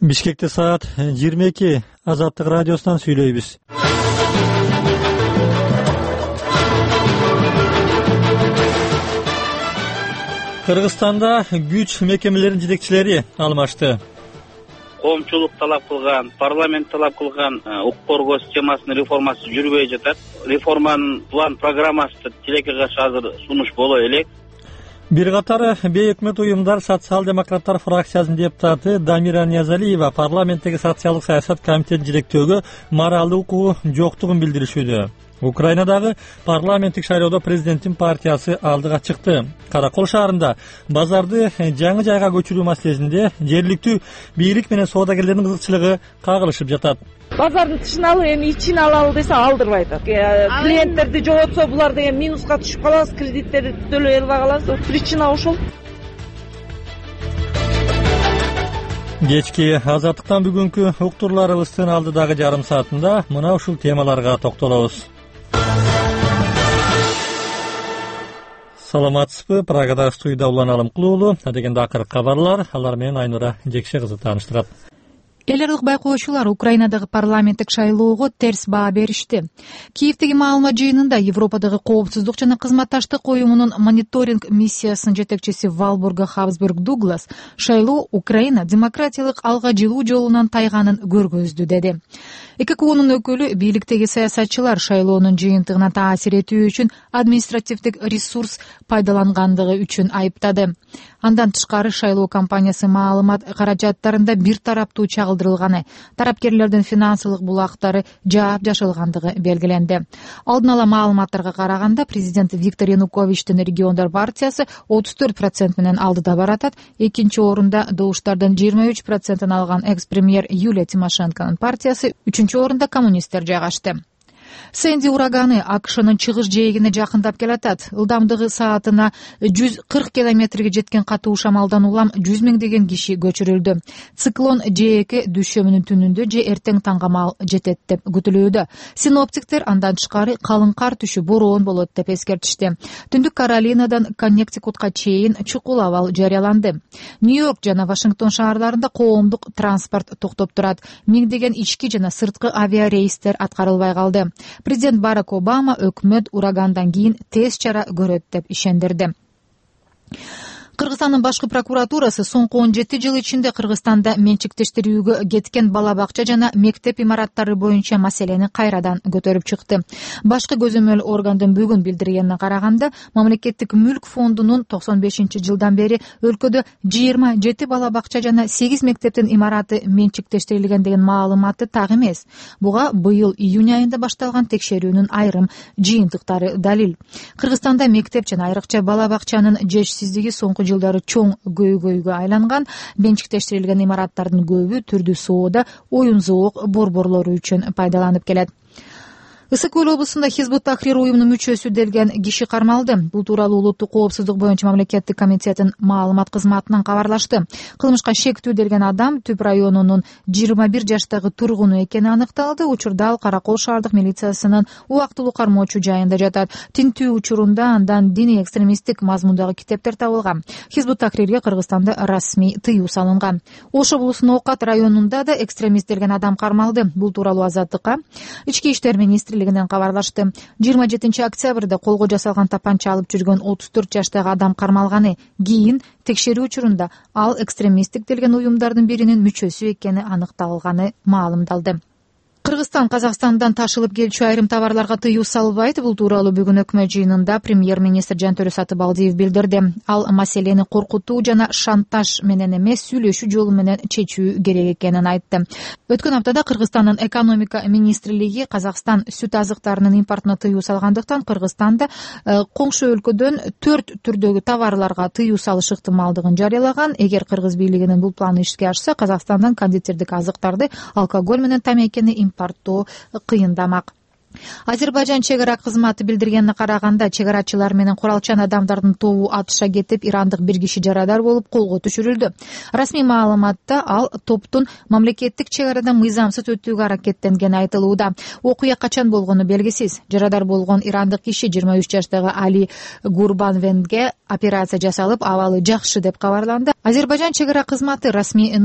Бишкекте саат 22. Азаттык радиосунан сүйлөйбүз. Кыргызстанда күч мекемелеринин жетекчилери алмашты. Коомчулук талап кылган, парламент талап кылган укук коргоо системасынын реформасы жүрбөй жатат. Реформанын план программасы тилекке каршы азыр сунуш боло элек. Бир катар бейөкмөт уюмдар социал-демократтар фракциясынын депутаты Дамира Ниязалиева парламенттеги социалдык саясат комитетин жетектөөгө моралдык укугу жоктугун билдиришүүдө. Украинадагы парламенттик шайлоодо президенттин партиясы алдыга чыкты. Каракол шаарында базарды жаңы жайга көчүрүү маселесинде жергиликтүү бийлик менен соодагерлердин кызыкчылыгы кагылышып жатат. Базардын тышын алып, эми ичин алалы десе алдырбай атат. Клиенттерди жоготсо булар деген минуска түшүп калабыз, кредиттерди төлөй албай калабыз. Причина ошол. Кечки Азаттыктан бүгүнкү уктурларыбыздын алдыдагы жарым саатында мына ушул темаларга токтолобуз. Саламатсызбы? Прагада студияда Улан Алымкулуу дегенде акыркы кабарлар, алар менен Айнура Жекше кызы тааныштырат. Эл аралык байкоочулар Украинадагы парламенттик шайлоого терс баа беришти. Киевдеги маалымат жыйынында Европадагы коопсуздук жана кызматташтык уюмунун мониторинг миссиясынын жетекчиси Валбурга Хабсбург Дуглас шайлоо Украина демократиялык алга жылуу жолунан тайганын көргөздү деди. ЭККУнун өкүлү бийликтеги саясатчылар шайлоонун жыйынтыгына таасир этүү үчүн административдик ресурс пайдалангандыгы үчүн айыптады. Андан тышкары шайлоо кампаниясы маалымат каражаттарында бир тараптуу чагылдырылганы, тарапкерлердин финансылык булактары жаап жашылгандыгы белгиленди. Алдын ала маалыматтарга караганда президент Виктор Януковичтин региондар партиясы 34% менен алдыда баратат. Экинчи орунда добуштардын 23% алган экс-премьер Юлия Тимошенконун партиясы, үчүнчү орунда коммунисттер жайгашты. Сэнди ураганы АКШнын чыгыш жээгине жакындап келатат. Ылдамдыгы саатына 140 километрге жеткен катуу шамалдан улам 100 миңдеген киши көчүрүлдү. Циклон жээки дүйшөмүнүн түнүндө же эртең таңга жетет деп күтүлүүдө. Синоптиктер андан тышкары калың кар түшүп бороон болот деп эскертишти. Түндүк Каролинадан Коннектикутка чейин чукул абал жарыяланды. Нью-Йорк жана Вашингтон шаарларында коомдук транспорт токтоп турат. Миңдеген ички жана сырткы авиарейстер аткарылбай калды. Президент Барак Обама өкмөт урагандан кийин тез чара көрөт деп ишендирди. Кыргызстандын башкы прокуратурасы соңку 17 жыл ичинде Кыргызстанда менчиктештирүүгө кеткен бала бакча жана мектеп имараттары боюнча маселени кайрадан көтөрүп чыкты. Башкы көзөмөл органдын бүгүн билдиргенине караганда, мамлекеттик мүлк фондунун 95-жылдан бери өлкөдө 27 бала бакча жана 8 мектептин имараты менчиктештирилген деген маалыматы так эмес. Буга быйыл июнь айында башталган текшерүүнүн айрым жыйынтыктары далил. Кыргызстанда мектеп жана айрыкча бала бакчанын жешсиздиги соңку жылдары чоң көйгөйгө айланган. Менчиктештирилген имараттардын көбү түрдүү соода, оюн-зоок борборлору үчүн пайдаланып келет. Ысык Көл облусунда Хизбут Тахрир уюмунун мүчөсү делген киши кармалды. Бул тууралуу Улуттук коопсуздук боюнча мамлекеттик комитеттин маалымат кызматынан кабарлашты. Кылмышка шектүү делген адам Түп районунун 21 жаштагы тургуну экени аныкталды. Учурда ал Каракол шаардык милициясынын убактылуу кармоочу жайында жатат. Тинтүү учурунда андан диний экстремисттик мазмундагы китептер табылган. Хизбут Тахрирге Кыргызстанда расмий тыюу салынган. Ош облусунун Окат районунда да экстремист делген адам кармалды. Бул тууралуу Азаттыкка Ички иштер министрлигинен кабарлашты. 27 октябрда колго жасалган тапанча алып жүргөн 34 жаштагы адам кармалганы. Кийин текшерүү учурунда ал экстремисттик делген уюмдардын биринин мүчөсү экени аныкталганы маалымдалды. Кыргызстан Казакстандан ташылып келчү айрым товарларга тыюу салбайт. Бул тууралуу бүгүн өкмөт жыйынында премьер-министр Жантөрө Сатыбалдиев билдирди. Ал маселени коркутуу жана шантаж менен эмес, сүйлөшүү жолу менен чечүү керек экенин айтты. Өткөн аптада Кыргызстандын экономика министрлиги Казакстан сүт азыктарынын импортуна тыюу салгандыктан Кыргызстанда коңшу өлкөдөн 4 түрдөгү товарларга тыюу салыш ыктымалдыгын жарыялаган. Эгер кыргыз бийлигинин бул планы ишке ашса, Казакстандан кондитердик азыктарды, алкоголь менен тамекини импорттоо кыйындамак. Азербайжан чек ара кызматы билдиргенине караганда, чек арачылар менен куралчан адамдардын тобу атышка кетип, ирандык бир киши жарадар болуп колго түшүрүлдү. Расмий маалыматта ал топтун мамлекеттик чек арадан мыйзамсыз өтүүгө аракеттенгени айтылууда. Окуя качан болгону белгисиз. Жарадар болгон ирандык киши 23 жаштагы Али Гурбанвенге операция жасалып, абалы жакшы деп кабарланды. Азербайжан чек ара кызматы расмий